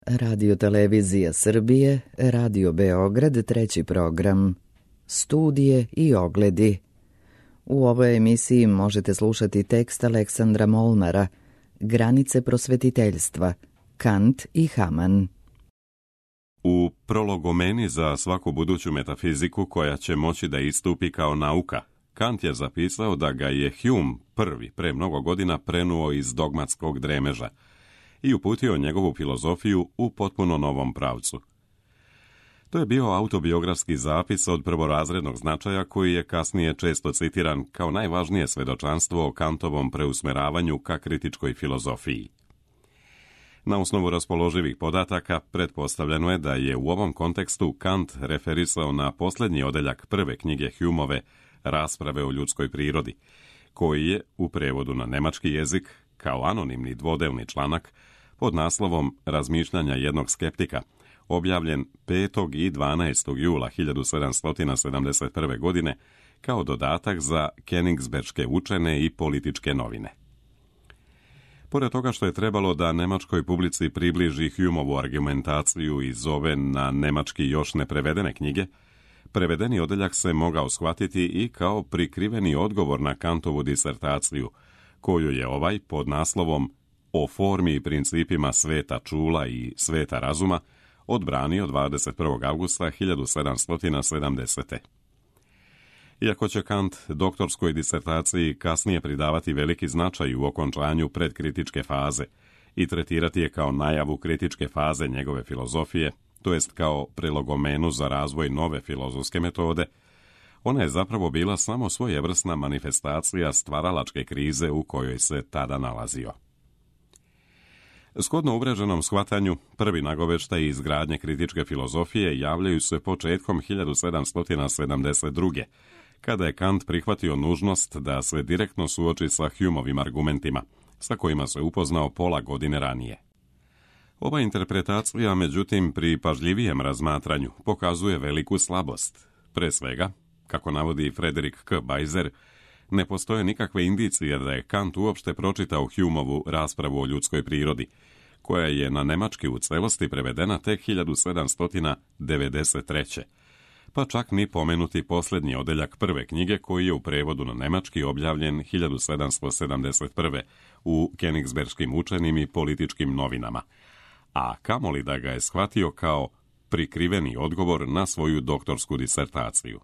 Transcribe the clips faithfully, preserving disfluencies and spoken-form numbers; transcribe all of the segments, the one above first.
Radio Televizija Srbije, Radio Beograd, treći program, studije i ogledi. U ovoj emisiji možete slušati tekst Aleksandra Molnara, Granice prosvetiteljstva, Kant i Hamann. U prologomeni za svaku buduću metafiziku koja će moći da istupi kao nauka, Kant je zapisao da ga je Hume prvi pre mnogo godina prenuo iz dogmatskog dremeža i uputio njegovu filozofiju u potpuno novom pravcu. To je bio autobiografski zapis od prvorazrednog značaja koji je kasnije često citiran kao najvažnije svedočanstvo o Kantovom preusmeravanju ka kritičkoj filozofiji. Na osnovu raspoloživih podataka pretpostavljeno je da je u ovom kontekstu Kant referisao na posljednji odeljak prve knjige Humeove Rasprave o ljudskoj prirodi, koji je u prevodu na nemački jezik kao anonimni dvodelni članak pod naslovom Razmišljanja jednog skeptika, objavljen petog i dvanaestog jula hiljadu sedamsto sedamdeset prve. godine kao dodatak za Königsberške učene i političke novine. Pored toga što je trebalo da nemačkoj publici približi Humeovu argumentaciju iz ove na nemački još neprevedene knjige, prevedeni odeljak se mogao shvatiti i kao prikriveni odgovor na Kantovu disertaciju, koju je ovaj pod naslovom O formi i principima sveta čula i sveta razuma odbranio dvadeset prvog avgusta hiljadu sedamsto sedamdesete. Iako će Kant doktorskoj disertaciji kasnije pridavati veliki značaj u okončanju predkritičke faze i tretirati je kao najavu kritičke faze njegove filozofije, to jest kao prelogomenu za razvoj nove filozofske metode, ona je zapravo bila samo svojevrsna manifestacija stvaralačke krize u kojoj se tada nalazio. Shodno uvreženom shvatanju, prvi nagoveštaj izgradnje kritičke filozofije javljaju se početkom hiljadu sedamsto sedamdeset druge. kada je Kant prihvatio nužnost da se direktno suoči sa Humeovim argumentima, sa kojima se upoznao pola godine ranije. Ova interpretacija, međutim, pri pažljivijem razmatranju pokazuje veliku slabost. Pre svega, kako navodi Frederik K. Bajzer, ne postoje nikakve indicije da je Kant uopšte pročitao Humeovu Raspravu o ljudskoj prirodi, koja je na nemački u celosti prevedena tek hiljadu sedamsto devedeset treće. pa čak ni pomenuti posljednji odeljak prve knjige koji je u prevodu na nemački objavljen hiljadu sedamsto sedamdeset prve. u Königsberškim učenim i političkim novinama, a kamoli da ga je shvatio kao prikriveni odgovor na svoju doktorsku disertaciju.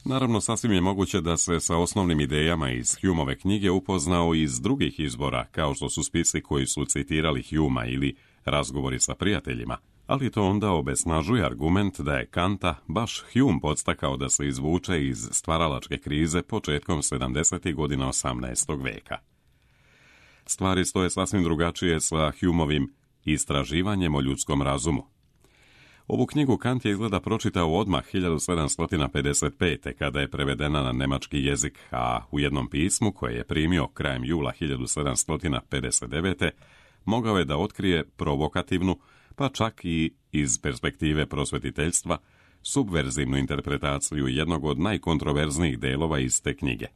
Naravno, sasvim je moguće da se sa osnovnim idejama iz Humeove knjige upoznao iz drugih izbora, kao što su spisi koji su citirali Humea ili razgovori sa prijateljima, ali to onda obesnažuje argument da je Kanta baš Hume podstakao da se izvuče iz stvaralačke krize početkom sedamdesetih godina osamnaestog veka. Stvari stoje sasvim drugačije sa Humeovim Istraživanjem o ljudskom razumu. Ovu knjigu Kant je izgleda pročitao odmah hiljadu sedamsto pedeset pete. kada je prevedena na nemački jezik, a u jednom pismu koje je primio krajem jula hiljadu sedamsto pedeset devete. mogao je da otkrije provokativnu, pa čak i iz perspektive prosvetiteljstva, subverzivnu interpretaciju jednog od najkontroverznijih delova iz te knjige.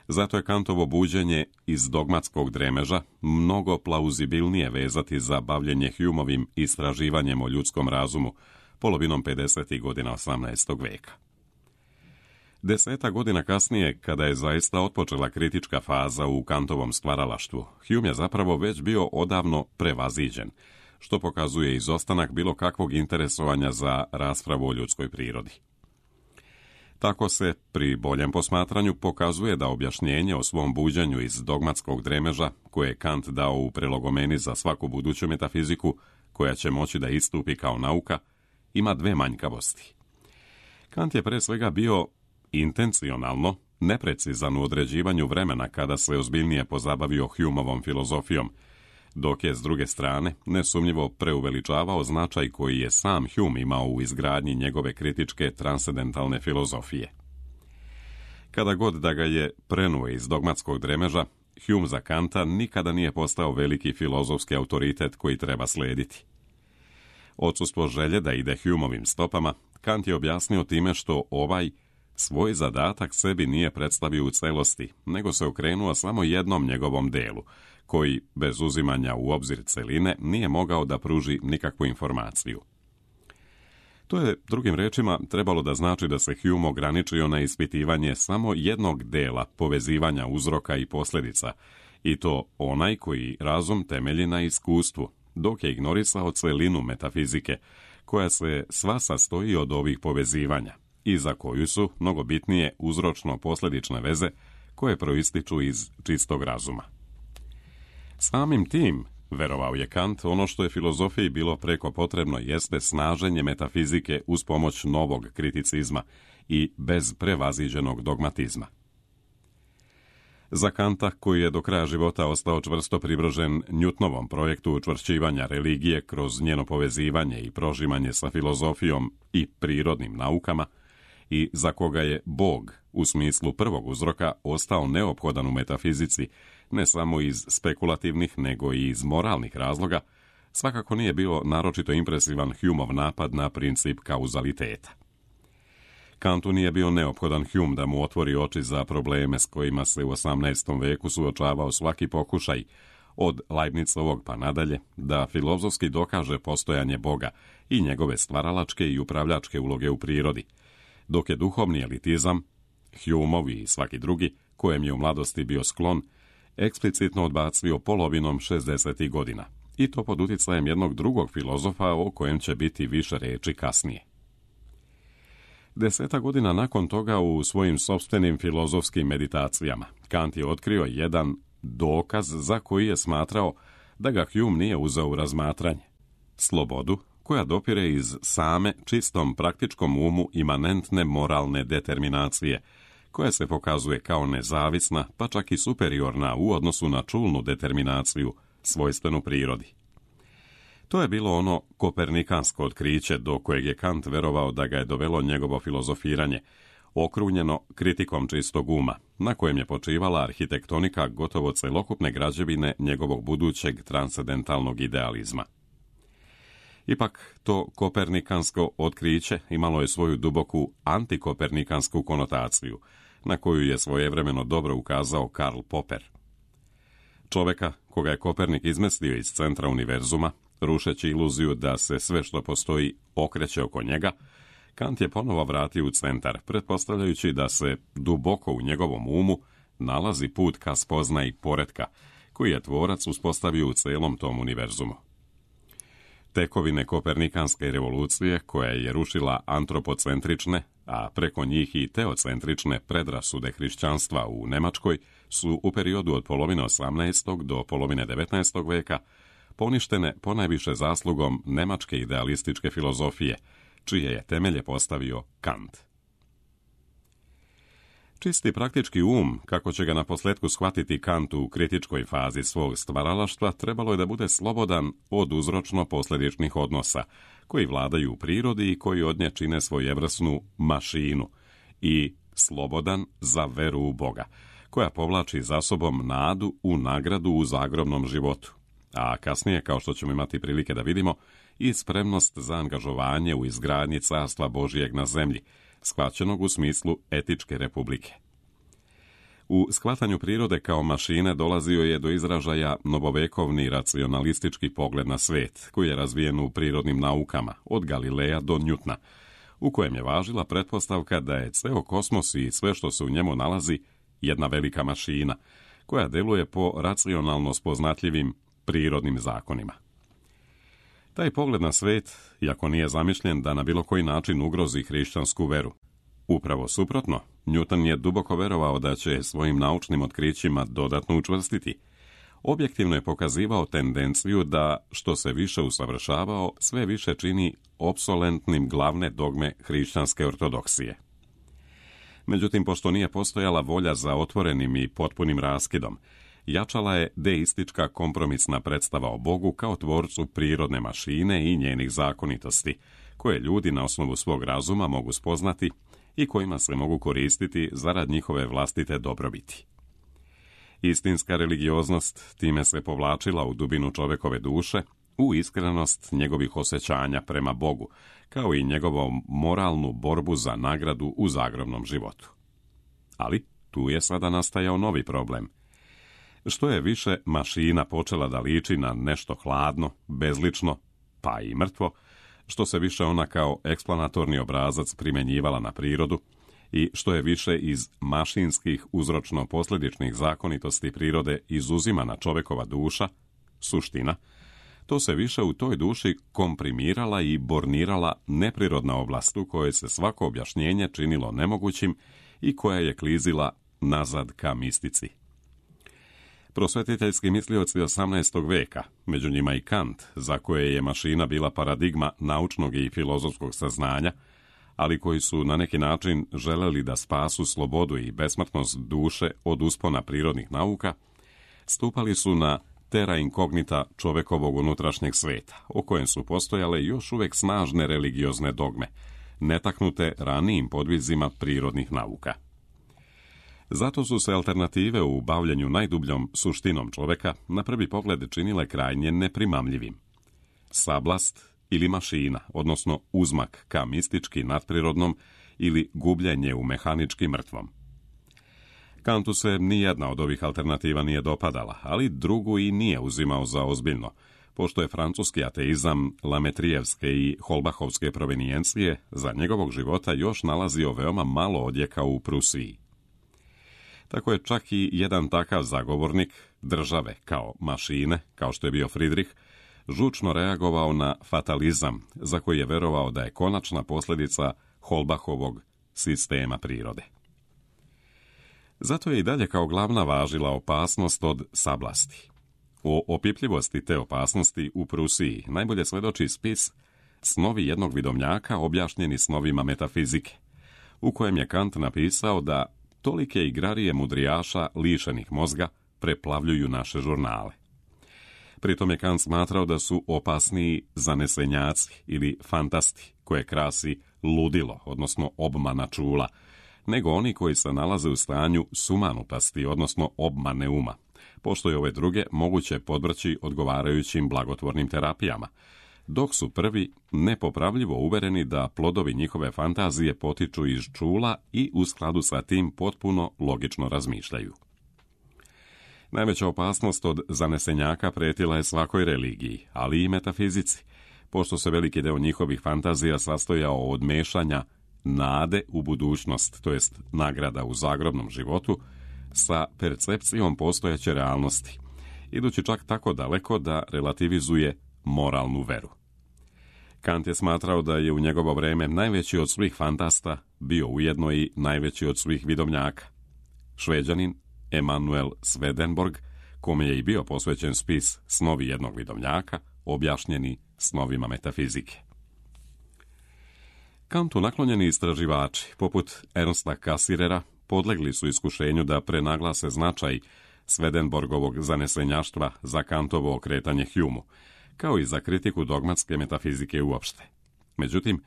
Zato je Kantovo buđenje iz dogmatskog dremeža mnogo plauzibilnije vezati za bavljenje Humeovim istraživanjem o ljudskom razumu polovinom pedesetih godina osamnaestog veka. Deseta godina kasnije, kada je zaista otpočela kritička faza u Kantovom stvaralaštvu, Hume je zapravo već bio odavno prevaziđen, što pokazuje izostanak bilo kakvog interesovanja za raspravu o ljudskoj prirodi. Tako se, pri boljem posmatranju, pokazuje da objašnjenje o svom buđenju iz dogmatskog dremeža, koje je Kant dao u prelogomeni za svaku buduću metafiziku, koja će moći da istupi kao nauka, ima dve manjkavosti. Kant je pre svega bio intencionalno neprecizan u određivanju vremena kada se ozbiljnije pozabavio Humeovom filozofijom, dok je, s druge strane, nesumnjivo preuveličavao značaj koji je sam Hume imao u izgradnji njegove kritičke transcendentalne filozofije. Kada god da ga je prenuo iz dogmatskog dremeža, Hume za Kanta nikada nije postao veliki filozofski autoritet koji treba slediti. Odsustvo želje da ide Humeovim stopama, Kant je objasnio time što ovaj svoj zadatak sebi nije predstavio u celosti, nego se okrenuo samo jednom njegovom delu, koji, bez uzimanja u obzir celine, nije mogao da pruži nikakvu informaciju. To je, drugim rečima, trebalo da znači da se Hume ograničio na ispitivanje samo jednog dela povezivanja uzroka i posljedica, i to onaj koji razum temelji na iskustvu, dok je ignorisao celinu metafizike, koja se sva sastoji od ovih povezivanja i za koju su mnogo bitnije uzročno-posljedične veze koje proističu iz čistog razuma. Samim tim, verovao je Kant, ono što je filozofiji bilo preko potrebno jeste snaženje metafizike uz pomoć novog kriticizma i bez prevaziđenog dogmatizma. Za Kanta, koji je do kraja života ostao čvrsto privržen Newtonovom projektu učvršćivanja religije kroz njeno povezivanje i prožimanje sa filozofijom i prirodnim naukama, i za koga je Bog, u smislu prvog uzroka, ostao neophodan u metafizici, ne samo iz spekulativnih, nego i iz moralnih razloga, svakako nije bio naročito impresivan Humeov napad na princip kauzaliteta. Kantu nije bio neophodan Hume da mu otvori oči za probleme s kojima se u osamnaestom veku suočavao svaki pokušaj, od Leibnicovog pa nadalje, da filozofski dokaže postojanje Boga i njegove stvaralačke i upravljačke uloge u prirodi, dok je duhovni elitizam, Humeov i svaki drugi, kojem je u mladosti bio sklon, eksplicitno odbacio polovinom šezdesetih godina, i to pod uticajem jednog drugog filozofa o kojem će biti više reči kasnije. Deseta godina nakon toga, u svojim sopstvenim filozofskim meditacijama, Kant je otkrio jedan dokaz za koji je smatrao da ga Hume nije uzeo u razmatranje: slobodu koja dopire iz same čistom praktičkom umu imanentne moralne determinacije, koja se pokazuje kao nezavisna, pa čak i superiorna u odnosu na čulnu determinaciju, svojstvenu prirodi. To je bilo ono kopernikansko otkriće do kojeg je Kant verovao da ga je dovelo njegovo filozofiranje, okrunjeno kritikom čistog uma, na kojem je počivala arhitektonika gotovo celokupne građevine njegovog budućeg transcendentalnog idealizma. Ipak, to kopernikansko otkriće imalo je svoju duboku antikopernikansku konotaciju, na koju je svojevremeno dobro ukazao Karl Popper. Čoveka koga je Kopernik izmestio iz centra univerzuma, rušeći iluziju da se sve što postoji okreće oko njega, Kant je ponovo vratio u centar, pretpostavljajući da se duboko u njegovom umu nalazi put ka spoznaji poretka, koji je tvorac uspostavio u celom tom univerzumu. Tekovine kopernikanske revolucije, koja je rušila antropocentrične, a preko njih i teocentrične predrasude hrišćanstva u Nemačkoj, su u periodu od polovine osamnaestog do polovine devetnaestog veka poništene ponajviše zaslugom nemačke idealističke filozofije, čije je temelje postavio Kant. Čisti praktički um, kako će ga na posljedku shvatiti Kant u kritičkoj fazi svog stvaralaštva, trebalo je da bude slobodan od uzročno-posljedičnih odnosa, koji vladaju u prirodi i koji od nje čine svojevrsnu mašinu, i slobodan za veru u Boga, koja povlači za sobom nadu u nagradu u zagrobnom životu, a kasnije, kao što ćemo imati prilike da vidimo, i spremnost za angažovanje u izgradnji carstva Božijeg na zemlji, shvaćenog u smislu etičke republike. U shvatanju prirode kao mašine dolazio je do izražaja novovekovni racionalistički pogled na svet, koji je razvijen u prirodnim naukama, od Galileja do Newtona, u kojem je važila pretpostavka da je ceo kosmos i sve što se u njemu nalazi jedna velika mašina, koja deluje po racionalno spoznatljivim prirodnim zakonima. Taj pogled na svet, iako nije zamišljen da na bilo koji način ugrozi hrišćansku veru. Upravo suprotno, Newton je duboko verovao da će svojim naučnim otkrićima dodatno učvrstiti. Objektivno je pokazivao tendenciju da, što se više usavršavao, sve više čini opsolentnim glavne dogme hrišćanske ortodoksije. Međutim, pošto nije postojala volja za otvorenim i potpunim raskidom, jačala je deistička kompromisna predstava o Bogu kao tvorcu prirodne mašine i njenih zakonitosti, koje ljudi na osnovu svog razuma mogu spoznati i kojima se mogu koristiti zarad njihove vlastite dobrobiti. Istinska religioznost time se povlačila u dubinu čovekove duše, u iskrenost njegovih osjećanja prema Bogu, kao i njegovom moralnu borbu za nagradu u zagrobnom životu. Ali tu je sada nastajao novi problem. Što je više mašina počela da liči na nešto hladno, bezlično, pa i mrtvo, što se više ona kao eksplanatorni obrazac primjenjivala na prirodu i što je više iz mašinskih uzročno-posljedičnih zakonitosti prirode izuzimana čovekova duša, suština, to se više u toj duši komprimirala i bornirala neprirodna oblast u kojoj se svako objašnjenje činilo nemogućim i koja je klizila nazad ka mistici. Prosvetiteljski mislioci osamnaestog veka, među njima i Kant, za koje je mašina bila paradigma naučnog i filozofskog saznanja, ali koji su na neki način želeli da spasu slobodu i besmrtnost duše od uspona prirodnih nauka, stupali su na terra incognita čovekovog unutrašnjeg sveta, o kojem su postojale još uvek snažne religiozne dogme, netaknute ranijim podvizima prirodnih nauka. Zato su se alternative u bavljenju najdubljom suštinom čoveka na prvi pogled činile krajnje neprimamljivim. Sablast ili mašina, odnosno uzmak ka mistički nadprirodnom ili gubljenje u mehanički mrtvom. Kantu se nijedna od ovih alternativa nije dopadala, ali drugu i nije uzimao za ozbiljno, pošto je francuski ateizam lametrijevske i holbahovske provenijencije za njegovog života još nalazio veoma malo odjeka u Prusiji. Tako je čak i jedan takav zagovornik države kao mašine, kao što je bio Friedrich, žučno reagovao na fatalizam za koji je verovao da je konačna posljedica Holbachovog sistema prirode. Zato je i dalje kao glavna važila opasnost od sablasti. O opipljivosti te opasnosti u Prusiji najbolje svedoči spis Snovi jednog vidomnjaka objašnjeni snovima metafizike, u kojem je Kant napisao da tolike igrarije mudrijaša lišenih mozga preplavljuju naše žurnale. Pritom je Kant smatrao da su opasniji zanesenjaci ili fantasti, koje krasi ludilo, odnosno obmana čula, nego oni koji se nalaze u stanju sumanutosti, odnosno obmane uma, pošto je ove druge moguće podvrći odgovarajućim blagotvornim terapijama, dok su prvi nepopravljivo uvereni da plodovi njihove fantazije potiču iz čula i u skladu sa tim potpuno logično razmišljaju. Najveća opasnost od zanesenjaka pretila je svakoj religiji, ali i metafizici, pošto se veliki deo njihovih fantazija sastojao od mešanja nade u budućnost, to jest nagrada u zagrobnom životu, sa percepcijom postojeće realnosti, idući čak tako daleko da relativizuje moralnu veru. Kant je smatrao da je u njegovo vreme najveći od svih fantasta bio ujedno i najveći od svih vidomnjaka. Šveđanin Emanuel Swedenborg, kome je i bio posvećen spis Snovi jednog vidomnjaka, objašnjeni snovima metafizike. Kantu naklonjeni istraživači, poput Ernsta Cassirera, podlegli su iskušenju da prenaglase značaj Swedenborgovog zanesenjaštva za Kantovo okretanje Humeu, kao i za kritiku dogmatske metafizike uopšte. Međutim,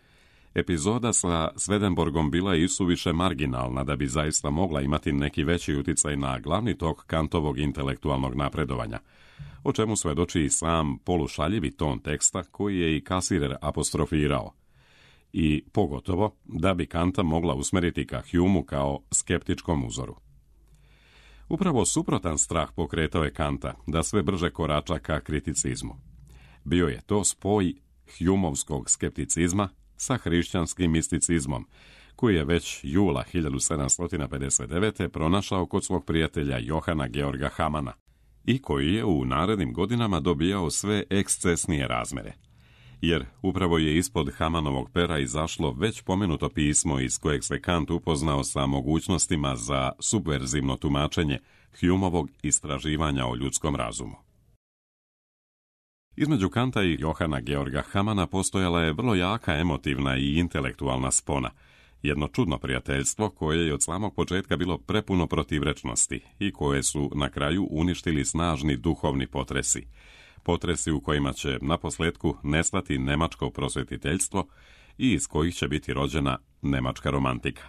epizoda sa Swedenborgom bila je isuviše marginalna da bi zaista mogla imati neki veći uticaj na glavni tok Kantovog intelektualnog napredovanja, o čemu svedoči i sam polušaljivi ton teksta koji je i Cassirer apostrofirao, i pogotovo da bi Kanta mogla usmeriti ka Humeu kao skeptičkom uzoru. Upravo suprotan strah pokretao je Kanta da sve brže korača ka kriticizmu. Bio je to spoj Humeovskog skepticizma sa hrišćanskim misticizmom, koji je već jula hiljadu sedamsto pedeset devete. pronašao kod svog prijatelja Johana Georga Hamana i koji je u narednim godinama dobijao sve ekscesnije razmere. Jer upravo je ispod Hamanovog pera izašlo već pomenuto pismo iz kojeg se Kant upoznao sa mogućnostima za subverzivno tumačenje Humeovog istraživanja o ljudskom razumu. Između Kanta i Johana Georga Hamana postojala je vrlo jaka emotivna i intelektualna spona, jedno čudno prijateljstvo koje je od samog početka bilo prepuno protivrečnosti i koje su na kraju uništili snažni duhovni potresi, potresi u kojima će naposljetku nestati nemačko prosvetiteljstvo i iz kojih će biti rođena nemačka romantika.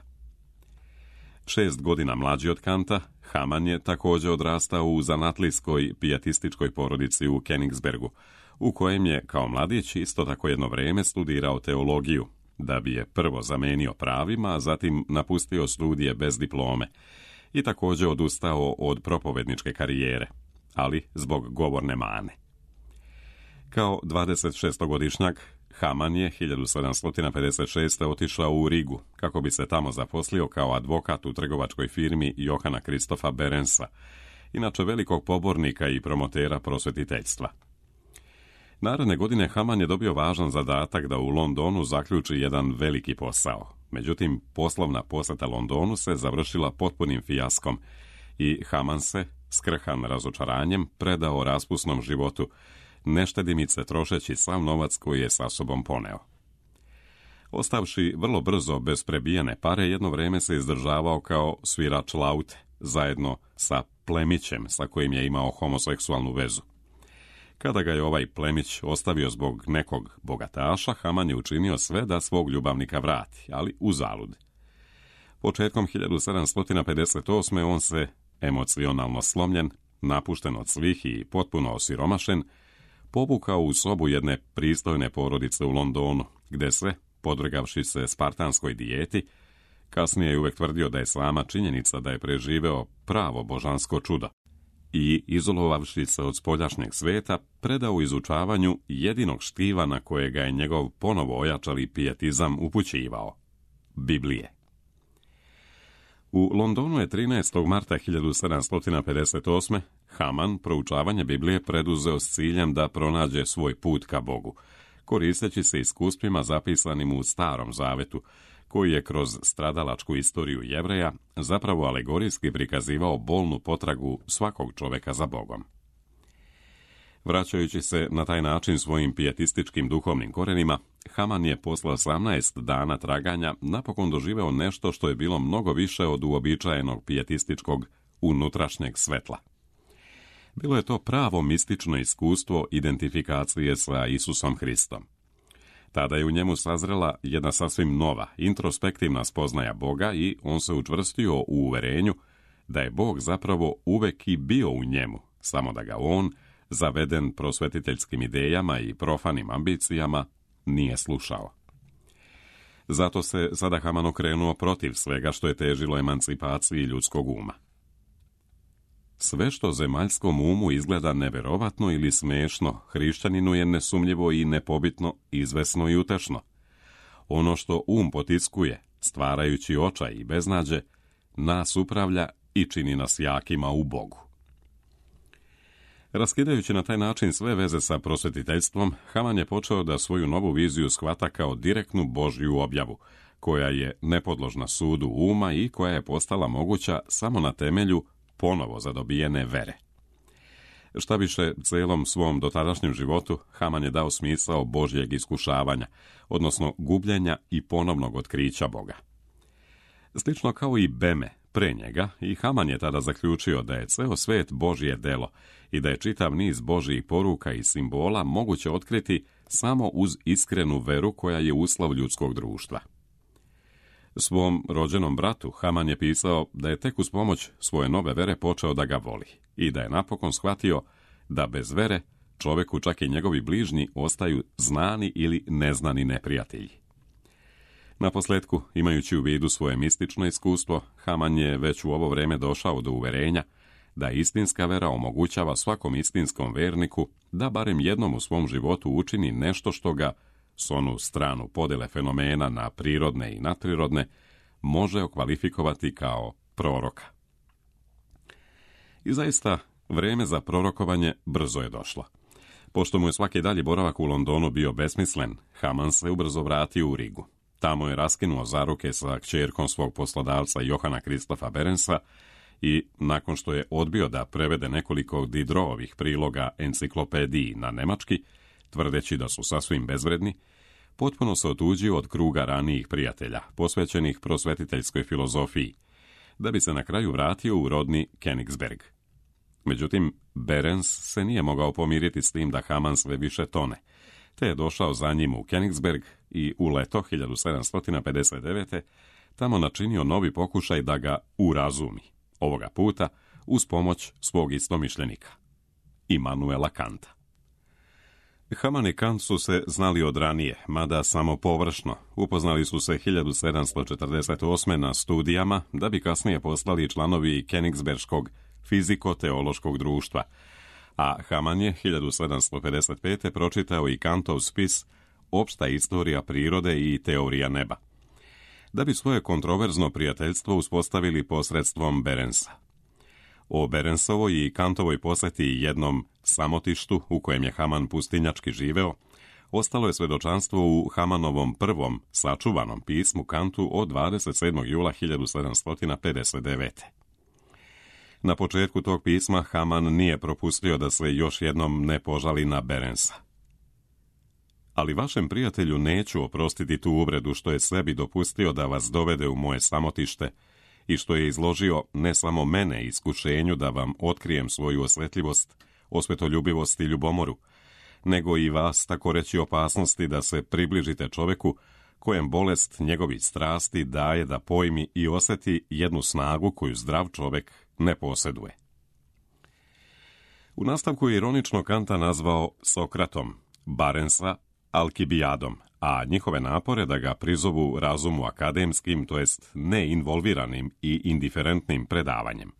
Šest godina mlađi od Kanta, Haman je također odrastao u zanatlijskoj pijetističkoj porodici u Königsbergu, u kojem je kao mladić isto tako jedno vrijeme studirao teologiju, da bi je prvo zamenio pravima, a zatim napustio studije bez diplome, i također odustao od propovedničke karijere, ali zbog govorne mane. Kao dvadesetšestogodišnjak, Haman je hiljadu sedamsto pedeset šeste. otišao u Rigu kako bi se tamo zaposlio kao advokat u trgovačkoj firmi Johana Kristofa Berensa, inače velikog pobornika i promotera prosvetiteljstva. Naredne godine Haman je dobio važan zadatak da u Londonu zaključi jedan veliki posao. Međutim, poslovna posjeta Londonu se završila potpunim fijaskom i Haman se, skrhan razočaranjem, predao raspusnom životu, neštedimice trošeći sav novac koji je sa sobom poneo. Ostavši vrlo brzo bez prebijene pare, jedno vrijeme se izdržavao kao svirač laute, zajedno sa plemićem sa kojim je imao homoseksualnu vezu. Kada ga je ovaj plemić ostavio zbog nekog bogataša, Haman je učinio sve da svog ljubavnika vrati, ali uzalud. Početkom hiljadu sedamsto pedeset osme. on se, emocionalno slomljen, napušten od svih i potpuno osiromašen, povukao u sobu jedne pristojne porodice u Londonu, gde se, podvrgavši se spartanskoj dijeti, kasnije je uvek tvrdio da je sama činjenica da je preživeo pravo božansko čudo i, izolovavši se od spoljašnjeg sveta, predao izučavanju jedinog štiva na kojega je njegov ponovo ojačali pijetizam upućivao – Biblije. U Londonu je trinaestog marta hiljadu sedamsto pedeset osme. Haman proučavanje Biblije preduzeo s ciljem da pronađe svoj put ka Bogu, koristeći se iskustvima zapisanim u Starom Zavetu, koji je kroz stradalačku istoriju Jevreja zapravo alegorijski prikazivao bolnu potragu svakog čoveka za Bogom. Vraćajući se na taj način svojim pijetističkim duhovnim korenima, Haman je posle osamnaest dana traganja napokon doživeo nešto što je bilo mnogo više od uobičajenog pijetističkog unutrašnjeg svetla. Bilo je to pravo mistično iskustvo identifikacije sa Isusom Hristom. Tada je u njemu sazrela jedna sasvim nova, introspektivna spoznaja Boga i on se učvrstio u uverenju da je Bog zapravo uvek i bio u njemu, samo da ga on, zaveden prosvetiteljskim idejama i profanim ambicijama, nije slušao. Zato se sada Haman okrenuo protiv svega što je težilo emancipaciji ljudskog uma. Sve što zemaljskom umu izgleda neverovatno ili smešno, hrišćaninu je nesumnjivo i nepobitno, izvesno i utešno. Ono što um potiskuje, stvarajući očaj i beznađe, nas upravlja i čini nas jakima u Bogu. Raskidajući na taj način sve veze sa prosvetiteljstvom, Haman je počeo da svoju novu viziju shvata kao direktnu Božju objavu, koja je nepodložna sudu uma i koja je postala moguća samo na temelju ponovo zadobijene vere. Šta više, celom svom dotadašnjem životu Haman je dao smisao Božjeg iskušavanja, odnosno gubljenja i ponovnog otkrića Boga. Slično kao i Beme pre njega, i Haman je tada zaključio da je ceo svet Božje delo i da je čitav niz Božjih poruka i simbola moguće otkriti samo uz iskrenu veru koja je uslov ljudskog društva. Svom rođenom bratu Haman je pisao da je tek uz pomoć svoje nove vere počeo da ga voli i da je napokon shvatio da bez vere čoveku, čak i njegovi bližnji, ostaju znani ili neznani neprijatelji. Naposletku, imajući u vidu svoje mistično iskustvo, Haman je već u ovo vreme došao do uverenja da istinska vera omogućava svakom istinskom verniku da barem jednom u svom životu učini nešto što ga, s onu stranu podele fenomena na prirodne i nadprirodne, može okvalifikovati kao proroka. I zaista, vreme za prorokovanje brzo je došlo. Pošto mu je svaki dalji boravak u Londonu bio besmislen, Haman se ubrzo vratio u Rigu. Tamo je raskinuo zaruke sa kćerkom svog poslodavca Johana Kristofa Berensa i, nakon što je odbio da prevede nekoliko Diderotovih priloga enciklopediji na nemački, tvrdeći da su sasvim bezvredni, potpuno se otuđio od kruga ranijih prijatelja, posvećenih prosvetiteljskoj filozofiji, da bi se na kraju vratio u rodni Königsberg. Međutim, Berens se nije mogao pomiriti s tim da Haman sve više tone, te je došao za njim u Königsberg i u leto hiljadu sedamsto pedeset devete. tamo načinio novi pokušaj da ga urazumi, ovoga puta uz pomoć svog istomišljenika, Immanuela Kanta. Haman i Kant su se znali od ranije, mada samo površno. Upoznali su se hiljadu sedamsto četrdeset osme na studijama, da bi kasnije postali članovi Königsberškog fiziko-teološkog društva, a Haman je hiljadu sedamsto pedeset pete pročitao i Kantov spis Opšta istorija prirode i teorija neba, da bi svoje kontroverzno prijateljstvo uspostavili posredstvom Berensa. O Berensovoj i Kantovoj posjeti jednom samotištu u kojem je Haman pustinjački živeo, ostalo je svedočanstvo u Hamanovom prvom sačuvanom pismu Kantu od dvadeset sedmog jula hiljadu sedamsto pedeset devete. Na početku tog pisma Haman nije propustio da se još jednom ne požali na Berensa. Ali vašem prijatelju neću oprostiti tu uvredu što je sebi dopustio da vas dovede u moje samotište i što je izložio ne samo mene iskušenju da vam otkrijem svoju osjetljivost, osvetoljubivost i ljubomoru, nego i vas tako reći opasnosti da se približite čoveku kojem bolest njegovih strasti daje da pojmi i osjeti jednu snagu koju zdrav čovek ne posjeduje. U nastavku je ironično Kanta nazvao Sokratom, Berensa Alkibijadom, a njihove napore da ga prizovu razumu akademskim, to jest neinvolviranim i indiferentnim predavanjem.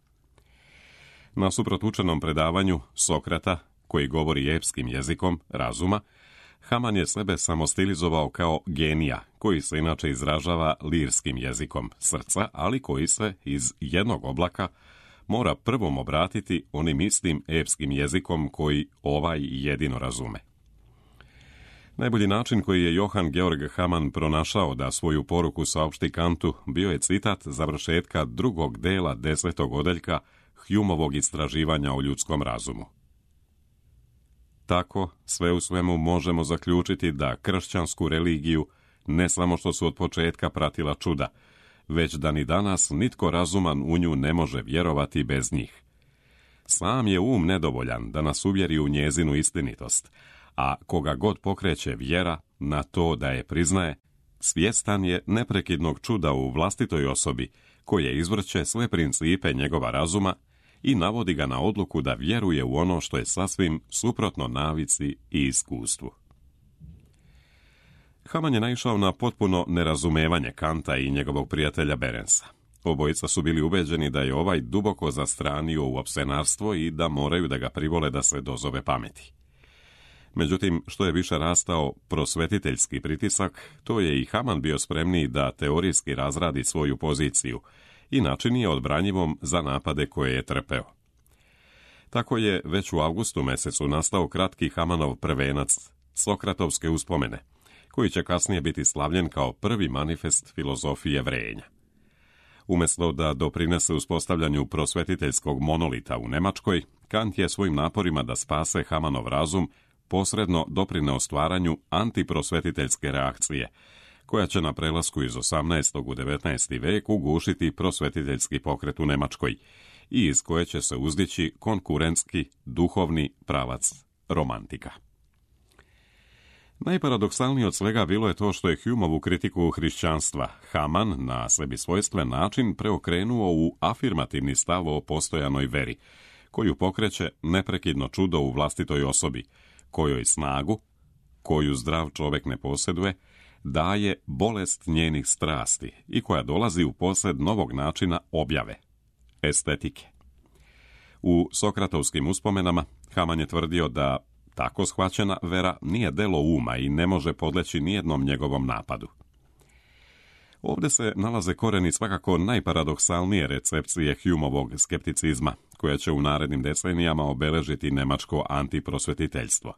Nasuprot učenom predavanju Sokrata, koji govori epskim jezikom razuma, Haman je sebe samostilizovao kao genija, koji se inače izražava lirskim jezikom srca, ali koji se iz jednog oblaka mora prvom obratiti onim istim epskim jezikom koji ovaj jedino razume. Najbolji način koji je Johann Georg Haman pronašao da svoju poruku saopšti Kantu bio je citat završetka drugog dela desetog odeljka Humeovog istraživanja o ljudskom razumu. Tako, sve u svemu možemo zaključiti da kršćansku religiju ne samo što su od početka pratila čuda, već da ni danas nitko razuman u nju ne može vjerovati bez njih. Sam je um nedovoljan da nas uvjeri u njezinu istinitost, a koga god pokreće vjera na to da je priznaje, svjestan je neprekidnog čuda u vlastitoj osobi, koje izvrće sve principe njegova razuma i navodi ga na odluku da vjeruje u ono što je sasvim suprotno navici i iskustvu. Haman je naišao na potpuno nerazumevanje Kanta i njegovog prijatelja Berensa. Obojica su bili ubeđeni da je ovaj duboko zastranio u opsenarstvo i da moraju da ga privole da se dozove pameti. Međutim, što je više rastao prosvetiteljski pritisak, to je i Haman bio spremniji da teorijski razradi svoju poziciju i načini je odbranjivom za napade koje je trpeo. Tako je već u avgustu mesecu nastao kratki Hamanov prvenac, Sokratovske uspomene, koji će kasnije biti slavljen kao prvi manifest filozofije vrenja. Umjesto da doprinese uspostavljanju prosvetiteljskog monolita u Nemačkoj, Kant je svojim naporima da spase Hamanov razum posredno doprineo stvaranju antiprosvetiteljske reakcije, koja će na prelasku iz osamnaestog u devetnaesti vek ugušiti prosvetiteljski pokret u Nemačkoj i iz koje će se uzdići konkurentski duhovni pravac romantika. Najparadoksalnije od svega bilo je to što je Humeovu kritiku hrišćanstva Haman na sebi svojstven način preokrenuo u afirmativni stav o postojanoj veri, koju pokreće neprekidno čudo u vlastitoj osobi, kojoj snagu, koju zdrav čovjek ne posjeduje, daje bolest njenih strasti i koja dolazi u posjed novog načina objave, estetike. U Sokratovskim uspomenama Haman je tvrdio da tako shvaćena vera nije delo uma i ne može podleći nijednom njegovom napadu. Ovdje se nalaze koreni svakako najparadoksalnije recepcije Humeovog skepticizma, koja će u narednim decenijama obeležiti nemačko antiprosvetiteljstvo.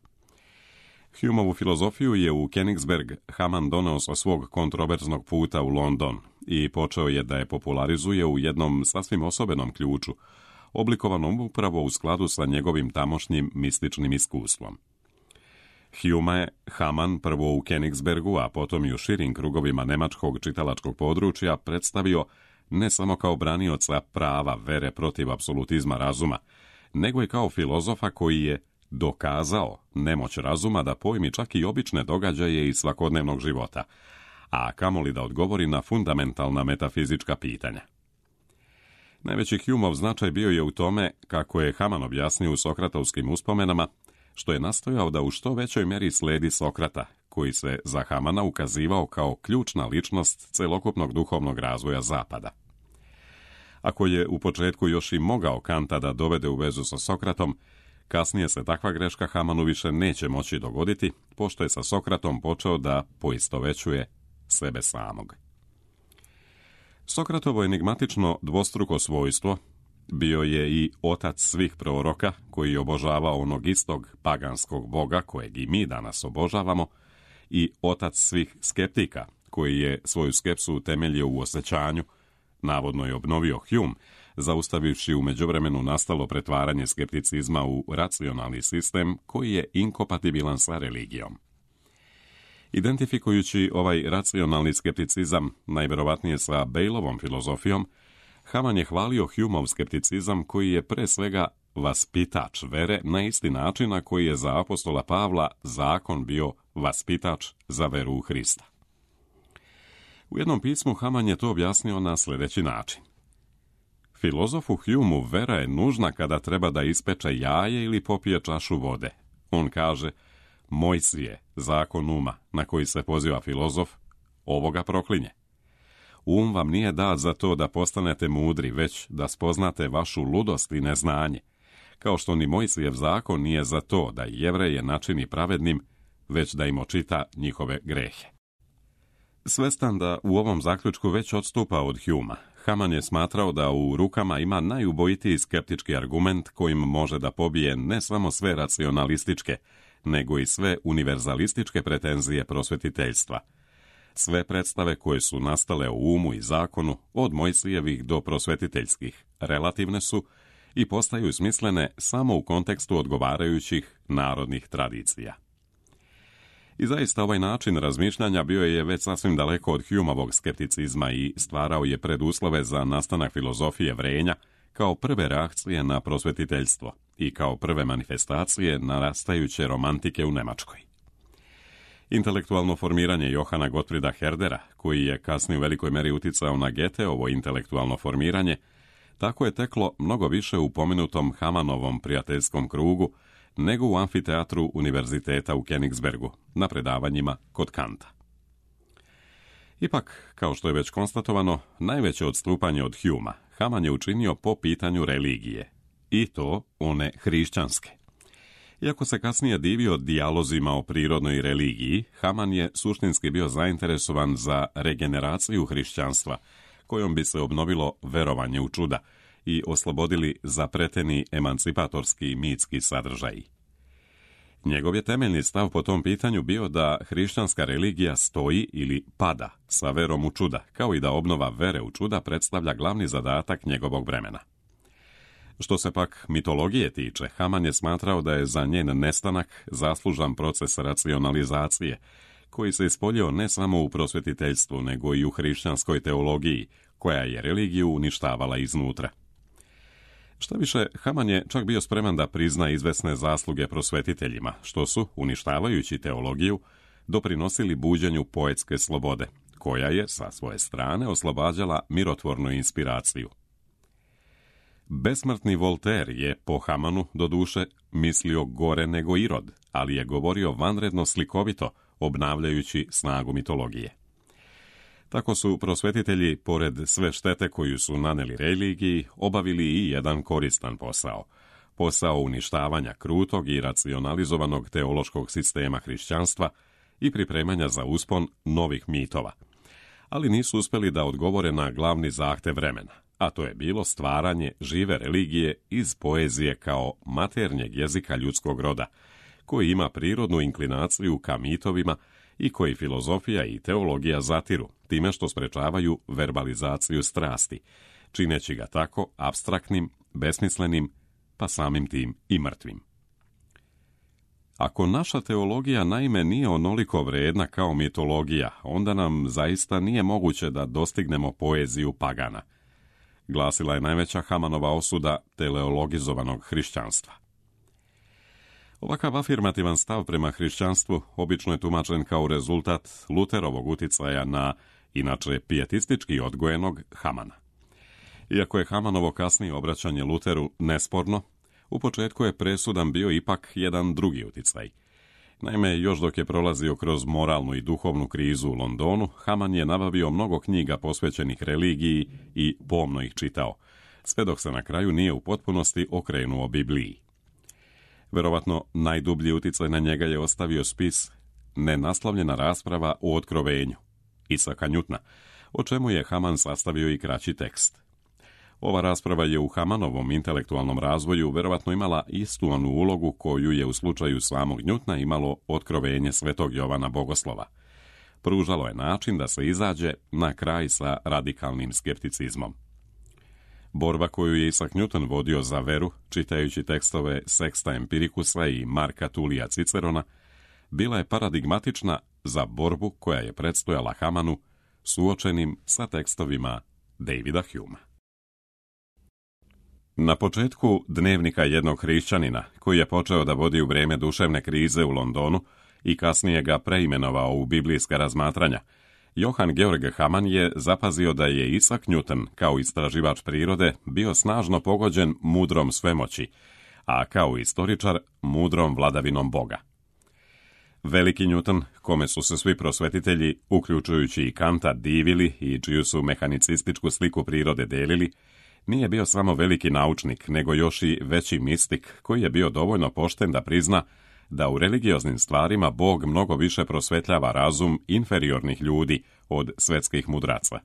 Humeovu filozofiju je u Königsberg Haman doneo sa svog kontroverznog puta u London i počeo je da je popularizuje u jednom sasvim osobenom ključu, oblikovanom upravo u skladu sa njegovim tamošnjim mističnim iskustvom. Hume je Haman prvo u Königsbergu, a potom i u širim krugovima nemačkog čitalačkog područja predstavio ne samo kao branioca prava vere protiv apsolutizma razuma, nego i kao filozofa koji je dokazao nemoć razuma da pojmi čak i obične događaje iz svakodnevnog života, a kamoli da odgovori na fundamentalna metafizička pitanja. Najveći Humeov značaj bio je u tome, kako je Haman objasnio u Sokratovskim uspomenama, što je nastojao da u što većoj mjeri sledi Sokrata, koji se za Hamana ukazivao kao ključna ličnost celokupnog duhovnog razvoja Zapada. Ako je u početku još i mogao Kanta da dovede u vezu sa Sokratom, kasnije se takva greška Hamanu više neće moći dogoditi, pošto je sa Sokratom počeo da poistovećuje sebe samog. Sokratovo enigmatično dvostruko svojstvo bio je i otac svih proroka, koji je obožavao onog istog paganskog boga kojeg i mi danas obožavamo, i otac svih skeptika, koji je svoju skepsu utemeljio u osjećanju, navodno je obnovio Hume, zaustavivši u međuvremenu nastalo pretvaranje skepticizma u racionalni sistem koji je inkompatibilan sa religijom. Identifikujući ovaj racionalni skepticizam, najvjerovatnije sa Bailovom filozofijom, Haman je hvalio Humeov skepticizam koji je pre svega vaspitač vere na isti način na koji je za apostola Pavla zakon bio vaspitač za veru u Hrista. U jednom pismu Haman je to objasnio na sljedeći način. Filozofu Humeu vera je nužna kada treba da ispeče jaje ili popije čašu vode. On kaže, Mojsije, zakon uma, na koji se poziva filozof, ovoga proklinje. Um vam nije dat za to da postanete mudri, već da spoznate vašu ludost i neznanje, kao što ni Mojsijev zakon nije za to da Jevreje načini pravednim, već da im očita njihove grehe. Svestan da u ovom zaključku već odstupa od Humea, Haman je smatrao da u rukama ima najubojitiji skeptički argument kojim može da pobije ne samo sve racionalističke, nego i sve univerzalističke pretenzije prosvetiteljstva. Sve predstave koje su nastale u umu i zakonu, od Mojsijevih do prosvetiteljskih, relativne su i postaju smislene samo u kontekstu odgovarajućih narodnih tradicija. I zaista ovaj način razmišljanja bio je već sasvim daleko od Humeovog skepticizma i stvarao je preduslove za nastanak filozofije vrenja kao prve reakcije na prosvetiteljstvo i kao prve manifestacije narastajuće romantike u Nemačkoj. Intelektualno formiranje Johana Gottfrieda Herdera, koji je kasnije u velikoj meri uticao na Goetheovo intelektualno formiranje, tako je teklo mnogo više u pomenutom Hamanovom prijateljskom krugu nego u amfiteatru univerziteta u Königsbergu, na predavanjima kod Kanta. Ipak, kao što je već konstatovano, najveće odstupanje od Humea Haman je učinio po pitanju religije, i to one hrišćanske. Iako se kasnije divio dijalozima o prirodnoj religiji, Haman je suštinski bio zainteresovan za regeneraciju hrišćanstva, kojom bi se obnovilo verovanje u čuda i oslobodili zapreteni emancipatorski mitski sadržaji. Njegov je temeljni stav po tom pitanju bio da hrišćanska religija stoji ili pada sa verom u čuda, kao i da obnova vere u čuda predstavlja glavni zadatak njegovog vremena. Što se pak mitologije tiče, Haman je smatrao da je za njen nestanak zaslužan proces racionalizacije, koji se ispoljio ne samo u prosvetiteljstvu, nego i u hrišćanskoj teologiji, koja je religiju uništavala iznutra. Šta više, Haman je čak bio spreman da prizna izvesne zasluge prosvetiteljima, što su, uništavajući teologiju, doprinosili buđenju poetske slobode, koja je, sa svoje strane, oslobađala mirotvornu inspiraciju. Besmrtni Voltaire je, po Hamanu, doduše, mislio gore nego Irod, ali je govorio vanredno slikovito, obnavljajući snagu mitologije. Tako su prosvetitelji, pored sve štete koju su naneli religiji, obavili i jedan koristan posao. Posao uništavanja krutog i racionalizovanog teološkog sistema hrišćanstva i pripremanja za uspon novih mitova. Ali nisu uspjeli da odgovore na glavni zahtev vremena, a to je bilo stvaranje žive religije iz poezije kao maternjeg jezika ljudskog roda, koji ima prirodnu inklinaciju ka mitovima i koji filozofija i teologija zatiru, time što sprečavaju verbalizaciju strasti, čineći ga tako apstraktnim, besmislenim, pa samim tim i mrtvim. Ako naša teologija naime nije onoliko vredna kao mitologija, onda nam zaista nije moguće da dostignemo poeziju pagana, glasila je najveća Hamanova osuda teleologizovanog hrišćanstva. Ovakav afirmativan stav prema hrišćanstvu obično je tumačen kao rezultat Luterovog uticaja na, inače pijetistički odgojenog, Hamana. Iako je Hamanovo kasnije obraćanje Luteru nesporno, U početku je presudan bio ipak jedan drugi uticaj. Naime, još dok je prolazio kroz moralnu i duhovnu krizu u Londonu, Haman je nabavio mnogo knjiga posvećenih religiji i pomno ih čitao, sve dok se na kraju nije u potpunosti okrenuo Bibliji. Verovatno najdublji uticaj na njega je ostavio spis Nenaslovljena rasprava o otkrovenju Isaka Newtona, o čemu je Haman sastavio i kraći tekst. Ova rasprava je u Hamanovom intelektualnom razvoju verovatno imala istu onu ulogu koju je u slučaju samog Newtona imalo otkrovenje Svetog Jovana Bogoslova. Pružalo je način da se izađe na kraj sa radikalnim skepticizmom. Borba koju je Isaac Newton vodio za veru, čitajući tekstove Sexta Empiricusa i Marka Tulija Cicerona, bila je paradigmatična za borbu koja je predstojala Hamanu, suočenim sa tekstovima Davida Humea. Na početku Dnevnika jednog hrišćanina, koji je počeo da vodi u vrijeme duševne krize u Londonu i kasnije ga preimenovao u biblijska razmatranja, Johann Georg Hamann je zapazio da je Isaac Newton, kao istraživač prirode, bio snažno pogođen mudrom svemoći, a kao istoričar mudrom vladavinom Boga. Veliki Newton, kome su se svi prosvetitelji, uključujući i Kanta, divili i čiju su mehanicističku sliku prirode delili, nije bio samo veliki naučnik, nego još i veći mistik, koji je bio dovoljno pošten da prizna da u religioznim stvarima Bog mnogo više prosvetljava razum inferiornih ljudi od svetskih mudraca.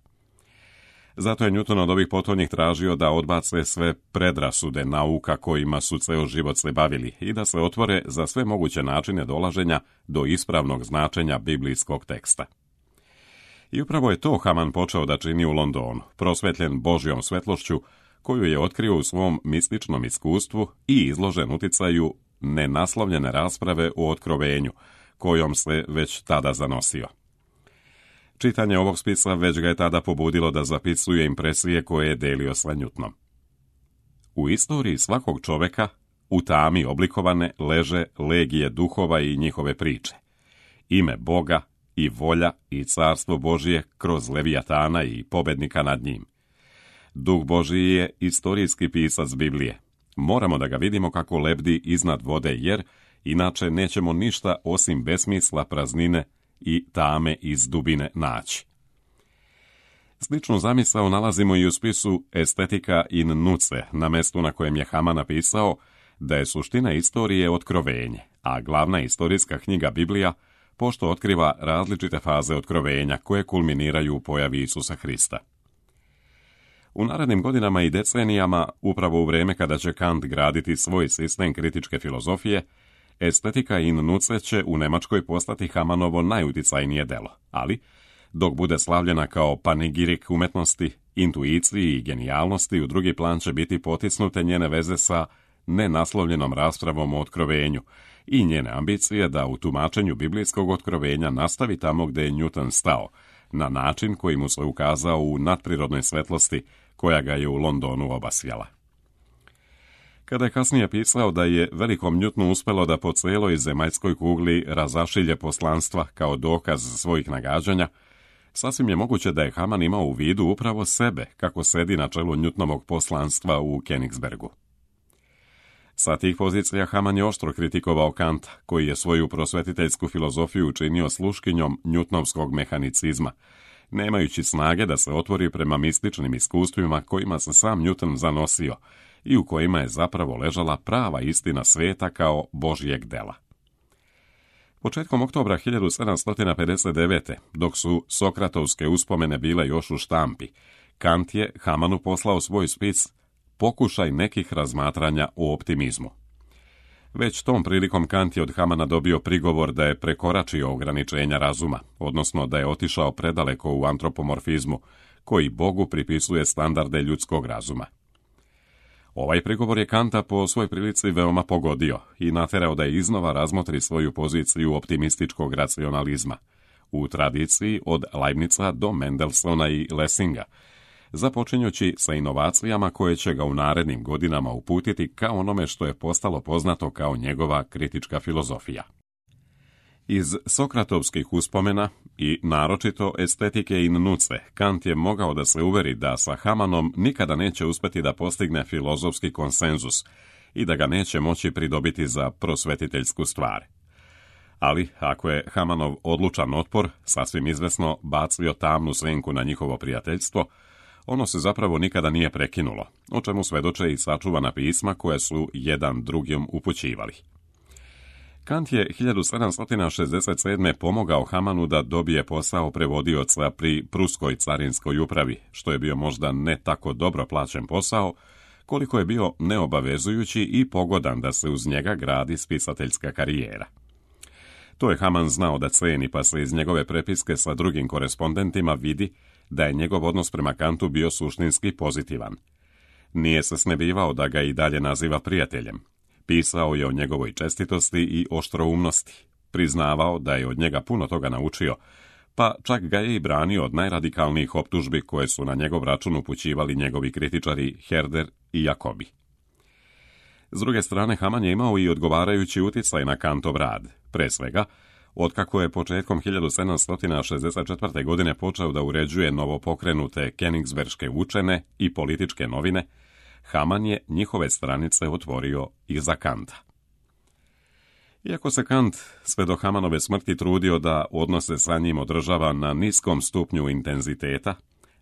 Zato je Newton od ovih potonjih tražio da odbace sve predrasude nauka kojima su ceo život se bavili i da se otvore za sve moguće načine dolaženja do ispravnog značenja biblijskog teksta. I upravo je to Haman počeo da čini u Londonu, prosvetljen Božjom svetlošću, koju je otkrio u svom mističnom iskustvu i izložen uticaju nenaslovljene rasprave o otkrovenju, kojom se već tada zanosio. Čitanje ovog spisa već ga je tada pobudilo da zapisuje impresije koje je delio sa Newtonom. U istoriji svakog čoveka, u tami oblikovane, leže legije duhova i njihove priče. Ime Boga i volja i carstvo Božije kroz Levijatana i pobednika nad njim. Duh Božiji je istorijski pisac Biblije. Moramo da ga vidimo kako lebdi iznad vode, jer inače nećemo ništa osim besmisla, praznine i tame iz dubine naći. Sličnu zamisao nalazimo i u spisu Estetika in nuce, na mestu na kojem je Haman napisao da je suština istorije otkrovenje, a glavna istorijska knjiga Biblija pošto otkriva različite faze otkrovenja koje kulminiraju u pojavi Isusa Hrista. U narednim godinama i decenijama, upravo u vrijeme kada će Kant graditi svoj sistem kritičke filozofije, Estetika in nuce će u Nemačkoj postati Hamanovo najuticajnije delo, ali dok bude slavljena kao panegirik umetnosti, intuiciji i genijalnosti, u drugi plan će biti potisnute njene veze sa nenaslovljenom raspravom o otkrovenju i njene ambicije da u tumačenju biblijskog otkrovenja nastavi tamo gde je Newton stao, na način koji mu se ukazao u nadprirodnoj svetlosti koja ga je u Londonu obasjala. Kada je kasnije pisao da je velikom Newtonu uspelo da po celoj zemaljskoj kugli razašilje poslanstva kao dokaz svojih nagađanja, sasvim je moguće da je Haman imao u vidu upravo sebe kako sedi na čelu Newtonovog poslanstva u Königsbergu. Sa tih pozicija Haman je oštro kritikovao Kanta, koji je svoju prosvetiteljsku filozofiju učinio sluškinjom Newtonovskog mehanicizma, nemajući snage da se otvori prema mističnim iskustvima kojima se sam Newton zanosio i u kojima je zapravo ležala prava istina sveta kao Božjeg dela. Početkom oktobra hiljadu sedamsto pedeset devete. dok su Sokratovske uspomene bile još u štampi, Kant je Hamanu poslao svoj spis Pokušaj nekih razmatranja o optimizmu. Već tom prilikom Kant je od Hamana dobio prigovor da je prekoračio ograničenja razuma, odnosno da je otišao predaleko u antropomorfizmu, koji Bogu pripisuje standarde ljudskog razuma. Ovaj prigovor je Kanta po svoj prilici veoma pogodio i naterao da je iznova razmotri svoju poziciju optimističkog racionalizma, u tradiciji od Leibnica do Mendelssohna i Lessinga, započinjući sa inovacijama koje će ga u narednim godinama uputiti ka onome što je postalo poznato kao njegova kritička filozofija. Iz Sokratovskih uspomena i naročito Estetike in nuce, Kant je mogao da se uveri da sa Hamanom nikada neće uspeti da postigne filozofski konsenzus i da ga neće moći pridobiti za prosvetiteljsku stvar. Ali, ako je Hamanov odlučan otpor, sasvim izvesno bacio tamnu senku na njihovo prijateljstvo, ono se zapravo nikada nije prekinulo, o čemu svedoče i sačuvana pisma koje su jedan drugim upućivali. Kant je hiljadu sedamsto šezdeset sedme pomogao Hamanu da dobije posao prevodioca pri pruskoj carinskoj upravi, što je bio možda ne tako dobro plaćen posao, koliko je bio neobavezujući i pogodan da se uz njega gradi spisateljska karijera. To je Haman znao da ceni, pa se iz njegove prepiske sa drugim korespondentima vidi da je njegov odnos prema Kantu bio suštinski pozitivan. Nije se snebivao da ga i dalje naziva prijateljem. Pisao je o njegovoj čestitosti i oštroumnosti. Priznavao da je od njega puno toga naučio, pa čak ga je i branio od najradikalnijih optužbi koje su na njegov račun upućivali njegovi kritičari Herder i Jacobi. S druge strane, Haman je imao i odgovarajući utjecaj na Kantov rad. Pre svega, otkako je početkom hiljadu sedamsto šezdeset četvrte. godine počeo da uređuje novopokrenute Königsberške učene i političke novine, Haman je njihove stranice otvorio i za Kanta. Iako se Kant sve do Hamanove smrti trudio da odnose sa njim održava na niskom stupnju intenziteta,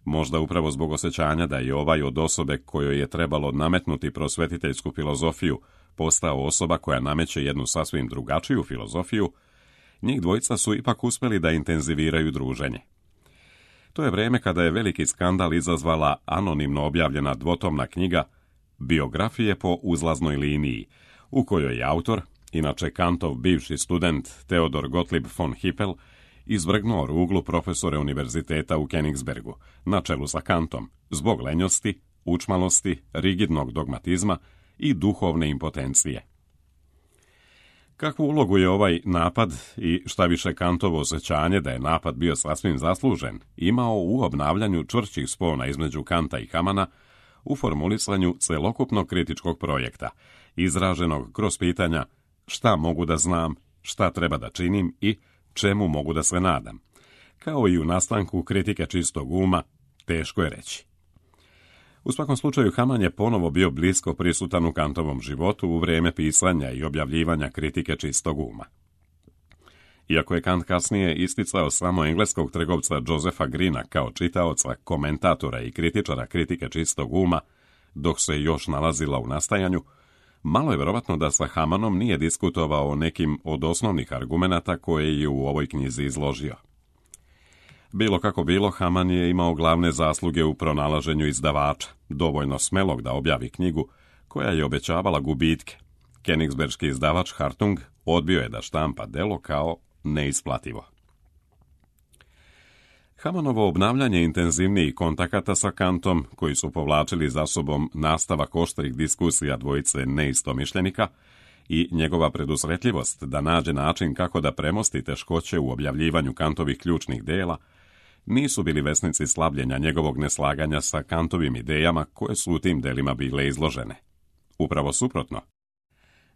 možda upravo zbog osjećanja da je ovaj od osobe kojoj je trebalo nametnuti prosvetiteljsku filozofiju postao osoba koja nameće jednu sasvim drugačiju filozofiju, njih dvojica su ipak uspjeli da intenziviraju druženje. To je vrijeme kada je veliki skandal izazvala anonimno objavljena dvotomna knjiga Biografije po uzlaznoj liniji, u kojoj je autor, inače Kantov bivši student Theodor Gottlieb von Hippel, izvrgnuo ruglu profesore univerziteta u Königsbergu, na čelu sa Kantom, zbog lenjosti, učmalosti, rigidnog dogmatizma i duhovne impotencije. Kakvu ulogu je ovaj napad i šta više Kantovo osjećanje da je napad bio sasvim zaslužen, imao u obnavljanju čvršćih spona između Kanta i Hamana u formulisanju celokupnog kritičkog projekta, izraženog kroz pitanja šta mogu da znam, šta treba da činim i čemu mogu da se nadam, kao i u nastanku kritike čistog uma, teško je reći. U svakom slučaju, Haman je ponovo bio blisko prisutan u Kantovom životu u vrijeme pisanja i objavljivanja kritike čistog uma. Iako je Kant kasnije isticao samo engleskog trgovca Josepha Greena kao čitaoca, komentatora i kritičara kritike čistog uma, dok se još nalazila u nastajanju, malo je vjerovatno da sa Hamanom nije diskutovao o nekim od osnovnih argumenata koje je u ovoj knjizi izložio. Bilo kako bilo, Haman je imao glavne zasluge u pronalaženju izdavača, dovoljno smelog da objavi knjigu koja je obećavala gubitke. Königsberški izdavač Hartung odbio je da štampa delo kao neisplativo. Hamanovo obnavljanje intenzivnijih kontakata sa Kantom, koji su povlačili za sobom nastavak oštrih diskusija dvojice neistomišljenika, i njegova predusretljivost da nađe način kako da premosti teškoće u objavljivanju Kantovih ključnih dela, nisu bili vesnici slabljenja njegovog neslaganja sa Kantovim idejama koje su u tim delima bile izložene. Upravo suprotno.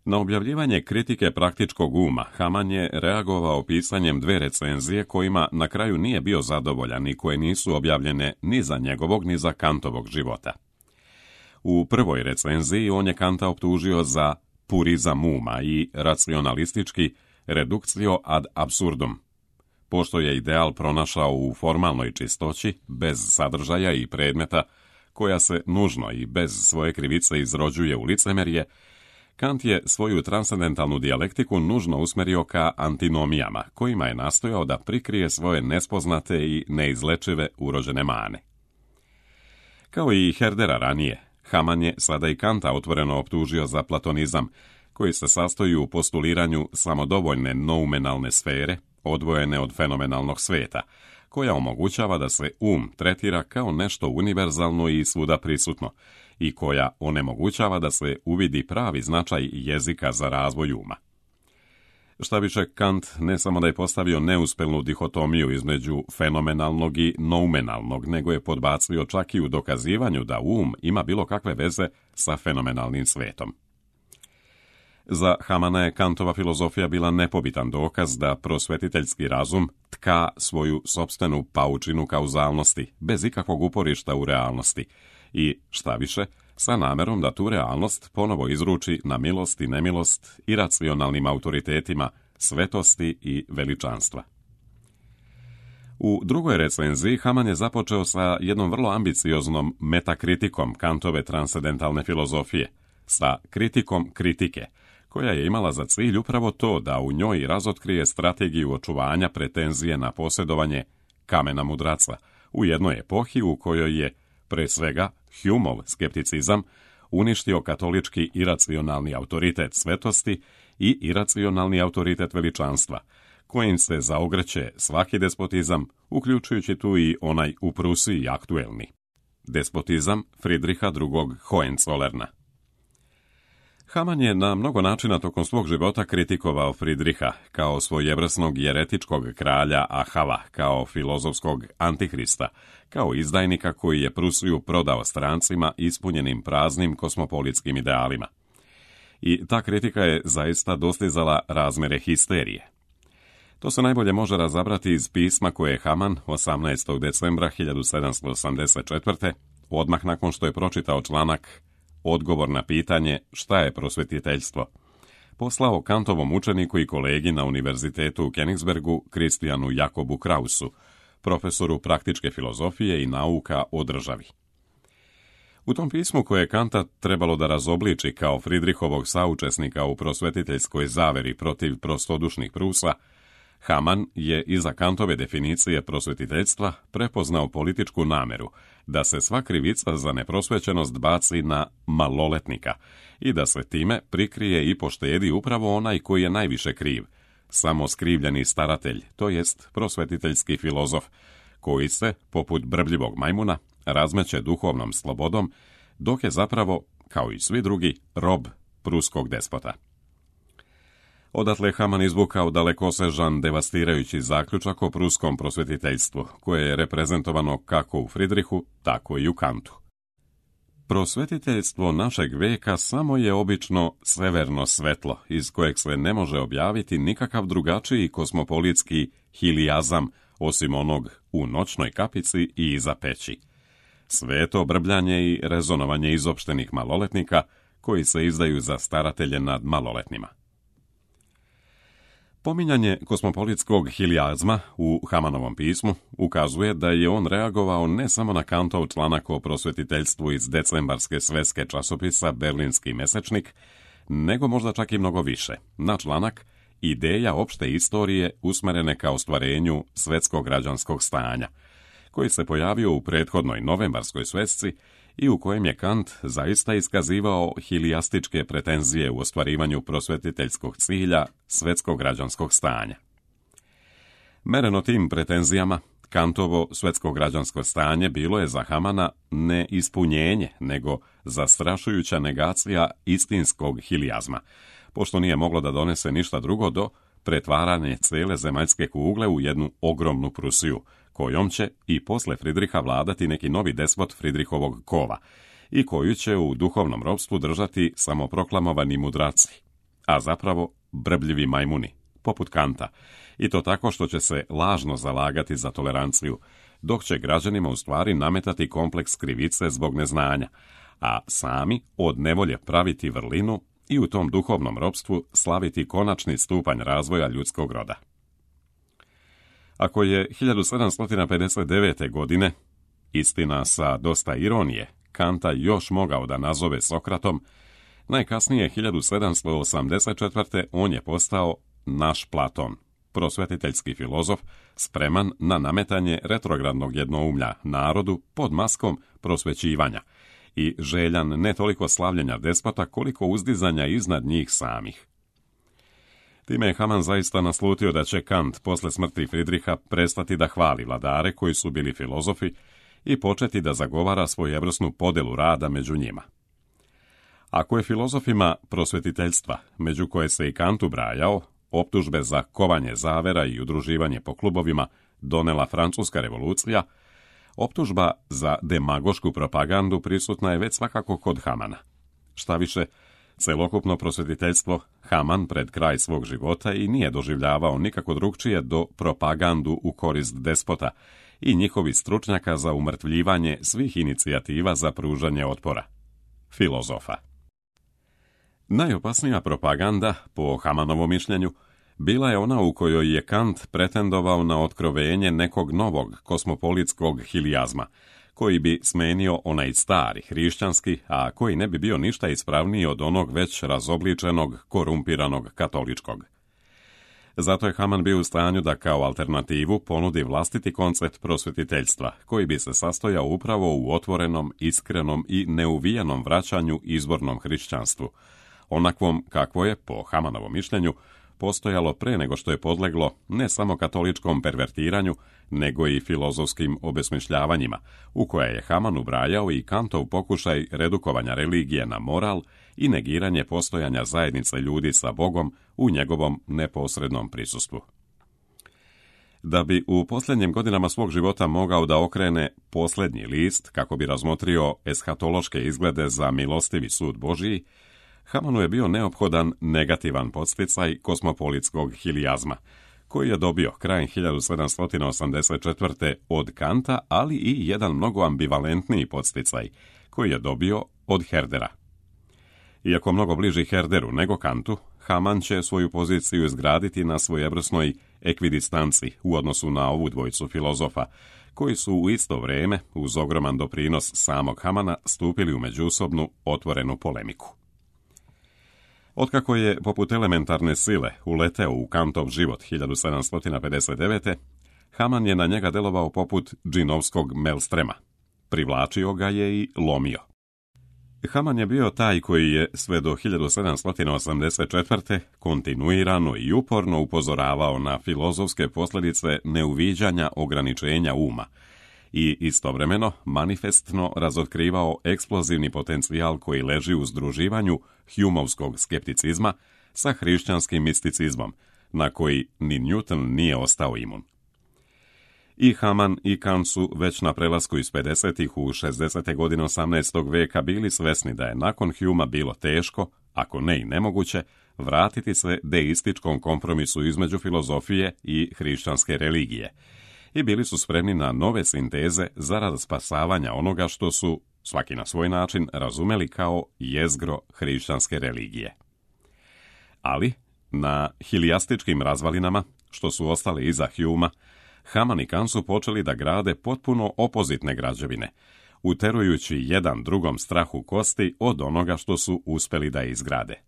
Na objavljivanje kritike praktičkog uma Haman je reagovao pisanjem dve recenzije kojima na kraju nije bio zadovoljan i koje nisu objavljene ni za njegovog ni za Kantovog života. U prvoj recenziji on je Kanta optužio za purizam uma i racionalistički reduktio ad absurdum, pošto je ideal pronašao u formalnoj čistoći, bez sadržaja i predmeta, koja se nužno i bez svoje krivice izrođuje u licemerje. Kant je svoju transcendentalnu dijalektiku nužno usmjerio ka antinomijama, kojima je nastojao da prikrije svoje nespoznate i neizlečive urođene mane. Kao i Herdera ranije, Haman je sada i Kanta otvoreno optužio za platonizam, koji se sastoji u postuliranju samodovoljne noumenalne sfere, odvojene od fenomenalnog sveta, koja omogućava da se um tretira kao nešto univerzalno i svuda prisutno, i koja onemogućava da se uvidi pravi značaj jezika za razvoj uma. Šta više, Kant ne samo da je postavio neuspelnu dihotomiju između fenomenalnog i noumenalnog, nego je podbacio čak i u dokazivanju da um ima bilo kakve veze sa fenomenalnim svetom. Za Hamana je Kantova filozofija bila nepobitan dokaz da prosvetiteljski razum tka svoju sopstvenu paučinu kauzalnosti, bez ikakvog uporišta u realnosti, i, šta više, sa namerom da tu realnost ponovo izruči na milost i nemilost iracionalnim autoritetima svetosti i veličanstva. U drugoj recenziji Hamann je započeo sa jednom vrlo ambicioznom metakritikom Kantove transcendentalne filozofije, sa kritikom kritike, koja je imala za cilj upravo to da u njoj razotkrije strategiju očuvanja pretenzije na posjedovanje kamena mudraca u jednoj epohi u kojoj je, pre svega, Humeov skepticizam uništio katolički iracionalni autoritet svetosti i iracionalni autoritet veličanstva, kojim se zaogreće svaki despotizam, uključujući tu i onaj u Prusiji aktuelni. Despotizam Friedricha drugog. Hohenzollerna. Hamann je na mnogo načina tokom svog života kritikovao Friedricha kao svojevrsnog jeretičkog kralja Ahava, kao filozofskog antihrista, kao izdajnika koji je Prusiju prodao strancima ispunjenim praznim kosmopolitskim idealima. I ta kritika je zaista dostizala razmere histerije. To se najbolje može razabrati iz pisma koje je Hamann osamnaestog decembra hiljadu sedamsto osamdeset četvrte. odmah nakon što je pročitao članak Odgovor na pitanje šta je prosvetiteljstvo, poslao Kantovom učeniku i kolegi na univerzitetu u Königsbergu Kristijanu Jakobu Krausu, profesoru praktičke filozofije i nauka o državi. U tom pismu koje je Kanta trebalo da razobliči kao Friedrichovog saučesnika u prosvetiteljskoj zaveri protiv prostodušnih Prusa, Hamann je iza Kantove definicije prosvetiteljstva prepoznao političku nameru da se sva krivica za neprosvećenost baci na maloletnika i da se time prikrije i poštedi upravo onaj koji je najviše kriv, samo skrivljeni staratelj, to jest prosvetiteljski filozof, koji se, poput brbljivog majmuna, razmeće duhovnom slobodom, dok je zapravo, kao i svi drugi, rob pruskog despota. Odatle Hamann izvukao dalekosežan, devastirajući zaključak o pruskom prosvetiteljstvu, koje je reprezentovano kako u Friedrichu, tako i u Kantu. Prosvetiteljstvo našeg veka samo je obično severno svetlo, iz kojeg se ne može objaviti nikakav drugačiji kosmopolitski hilijazam, osim onog u noćnoj kapici i iza peći. Sveto brbljanje i rezonovanje izopštenih maloletnika, koji se izdaju za staratelje nad maloletnima. Pominjanje kosmopolitskog hilijazma u Hamannovom pismu ukazuje da je on reagovao ne samo na Kantov članak o prosvetiteljstvu iz decembarske svetske časopisa Berlinski mesečnik, nego možda čak i mnogo više, na članak Ideja opšte istorije usmerene ka ostvarenju svetskog građanskog stanja, koji se pojavio u prethodnoj novembarskoj svesci i u kojem je Kant zaista iskazivao hilijastičke pretenzije u ostvarivanju prosvetiteljskog cilja svetskog građanskog stanja. Mereno tim pretenzijama, Kantovo svetsko građansko stanje bilo je za Hamana ne ispunjenje, nego zastrašujuća negacija istinskog hilijazma, pošto nije moglo da donese ništa drugo do pretvaranje cele zemaljske kugle u jednu ogromnu Prusiju, kojom će i posle Friedricha vladati neki novi despot Friedrichovog kova i koju će u duhovnom ropstvu držati samoproklamovani mudraci, a zapravo brbljivi majmuni, poput Kanta, i to tako što će se lažno zalagati za toleranciju, dok će građanima u stvari nametati kompleks krivice zbog neznanja, a sami od nevolje praviti vrlinu i u tom duhovnom ropstvu slaviti konačni stupanj razvoja ljudskog roda. Ako je hiljadu sedamsto pedeset devete. godine, istina sa dosta ironije, Kanta još mogao da nazove Sokratom, najkasnije hiljadu sedamsto osamdeset četvrte. on je postao naš Platon, prosvetiteljski filozof, spreman na nametanje retrogradnog jednoumlja narodu pod maskom prosvećivanja i željan ne toliko slavljenja despota koliko uzdizanja iznad njih samih. Time je Hamann zaista naslutio da će Kant posle smrti Friedricha prestati da hvali vladare koji su bili filozofi i početi da zagovara svojevrsnu podelu rada među njima. Ako je filozofima prosvetiteljstva, među koje se i Kant ubrajao, optužbe za kovanje zavera i udruživanje po klubovima donela Francuska revolucija, optužba za demagošku propagandu prisutna je već svakako kod Hamana. Šta više, celokupno prosvetiteljstvo Hamann pred kraj svog života i nije doživljavao nikako drugčije do propagandu u korist despota i njihovih stručnjaka za umrtvljivanje svih inicijativa za pružanje otpora. filozofa. Najopasnija propaganda, po Hamanovom mišljenju, bila je ona u kojoj je Kant pretendovao na otkrovenje nekog novog kosmopolitskog hilijazma, koji bi smenio onaj stari hrišćanski, a koji ne bi bio ništa ispravniji od onog već razobličenog, korumpiranog katoličkog. Zato je Haman bio u stanju da kao alternativu ponudi vlastiti koncept prosvetiteljstva, koji bi se sastojao upravo u otvorenom, iskrenom i neuvijenom vraćanju izvornom hrišćanstvu, onakvom kakvo je, po Hamanovom mišljenju, postojalo pre nego što je podleglo ne samo katoličkom pervertiranju, nego i filozofskim obesmišljavanjima, u koje je Haman ubrajao i Kantov pokušaj redukovanja religije na moral i negiranje postojanja zajednice ljudi sa Bogom u njegovom neposrednom prisustvu. Da bi u posljednjim godinama svog života mogao da okrene posljednji list kako bi razmotrio eshatološke izglede za milostivi sud Božiji, Hamanu je bio neophodan negativan podsticaj kosmopolitskog hilijazma, koji je dobio krajem hiljadu sedamsto osamdeset četvrte. od Kanta, ali i jedan mnogo ambivalentniji podsticaj, koji je dobio od Herdera. Iako mnogo bliži Herderu nego Kantu, Haman će svoju poziciju izgraditi na svojevrsnoj ekvidistanci u odnosu na ovu dvojicu filozofa, koji su u isto vrijeme, uz ogroman doprinos samog Hamana, stupili u međusobnu otvorenu polemiku. Otkako je, poput elementarne sile, uleteo u Kantov život hiljadu sedamsto pedeset devete. Haman je na njega delovao poput džinovskog melstrema. Privlačio ga je i lomio. Haman je bio taj koji je sve do hiljadu sedamsto osamdeset četvrte. kontinuirano i uporno upozoravao na filozofske posljedice neuviđanja ograničenja uma i istovremeno manifestno razotkrivao eksplozivni potencijal koji leži u združivanju Humeovskog skepticizma sa hrišćanskim misticizmom, na koji ni Newton nije ostao imun. I Haman i Kant su već na prelasku iz pedesetih u šezdesete godine osamnaestog veka bili svesni da je nakon Humea bilo teško, ako ne i nemoguće, vratiti se deističkom kompromisu između filozofije i hrišćanske religije, i bili su spremni na nove sinteze zarad spasavanja onoga što su, svaki na svoj način, razumeli kao jezgro hrišćanske religije. Ali, na hilijastičkim razvalinama, što su ostale iza Humea, Haman i Kant su počeli da grade potpuno opozitne građevine, uterujući jedan drugom strah u kosti od onoga što su uspeli da izgrade.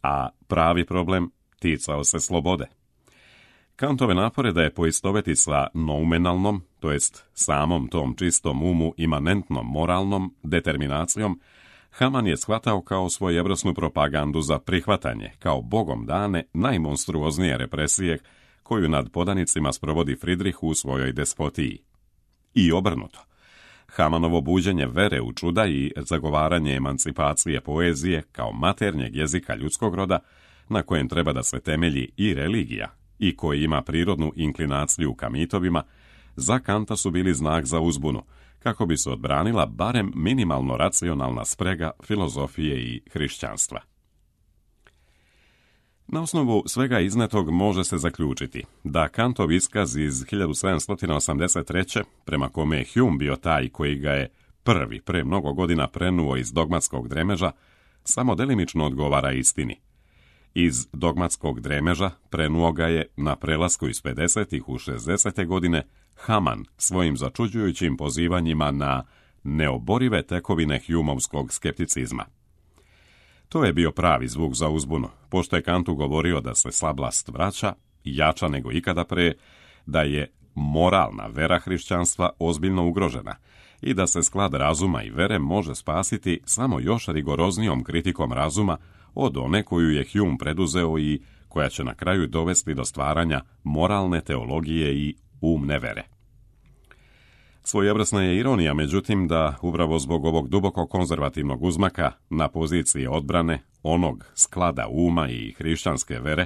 A pravi problem ticao se slobode. Kantove napore da je poistoveti sa noumenalnom, to jest samom tom čistom umu imanentnom moralnom determinacijom, Haman je shvatao kao svojevrsnu propagandu za prihvatanje, kao bogom dane, najmonstruoznije represije koju nad podanicima sprovodi Fridrih u svojoj despotiji. I obrnuto. Hamanovo buđenje vere u čuda i zagovaranje emancipacije poezije kao maternjeg jezika ljudskog roda, na kojem treba da se temelji i religija, i koji ima prirodnu inklinaciju ka mitovima, za Kanta su bili znak za uzbunu, kako bi se odbranila barem minimalno racionalna sprega filozofije i hrišćanstva. Na osnovu svega iznetog može se zaključiti da Kantov iskaz iz hiljadu sedamsto osamdeset treće. prema kome je Hume bio taj koji ga je prvi pre mnogo godina prenuo iz dogmatskog dremeža, samo delimično odgovara istini. Iz dogmatskog dremeža prenuo ga je na prelasku iz pedesetih u šezdesete godine Haman svojim začuđujućim pozivanjima na neoborive tekovine Humeovskog skepticizma. To je bio pravi zvuk za uzbunu, pošto je Kantu govorio da se slablast vraća, jača nego ikada pre, da je moralna vera hrišćanstva ozbiljno ugrožena i da se sklad razuma i vere može spasiti samo još rigoroznijom kritikom razuma od one koju je Hume preduzeo i koja će na kraju dovesti do stvaranja moralne teologije i umne vere. Svojevrsna je ironija, međutim, da upravo zbog ovog duboko konzervativnog uzmaka na poziciji odbrane onog sklada uma i hrišćanske vere,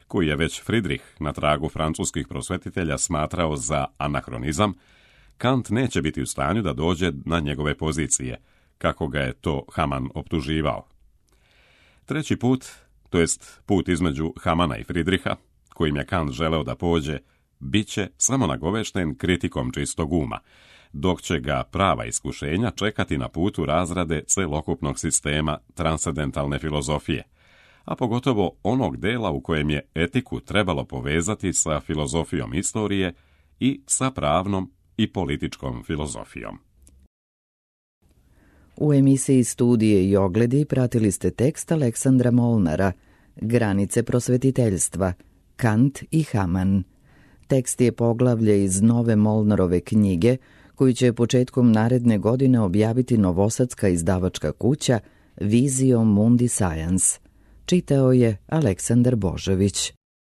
koji je već Fridrih na tragu francuskih prosvetitelja smatrao za anahronizam, Kant neće biti u stanju da dođe na njegove pozicije, kako ga je to Haman optuživao. Treći put, to jest put između Hamana i Fridriha, kojim je Kant želeo da pođe, bit će samo nagovešten kritikom čistog uma, dok će ga prava iskušenja čekati na putu razrade celokupnog sistema transcendentalne filozofije, a pogotovo onog dela u kojem je etiku trebalo povezati sa filozofijom istorije i sa pravnom i političkom filozofijom. U emisiji Studije i ogledi pratili ste tekst Aleksandra Molnara, Granice prosvetiteljstva, Kant i Hamann. Tekst je poglavlje iz nove Molnarove knjige, koju će početkom naredne godine objaviti novosadska izdavačka kuća Visio Mundi Science. Čitao je Aleksandar Božović.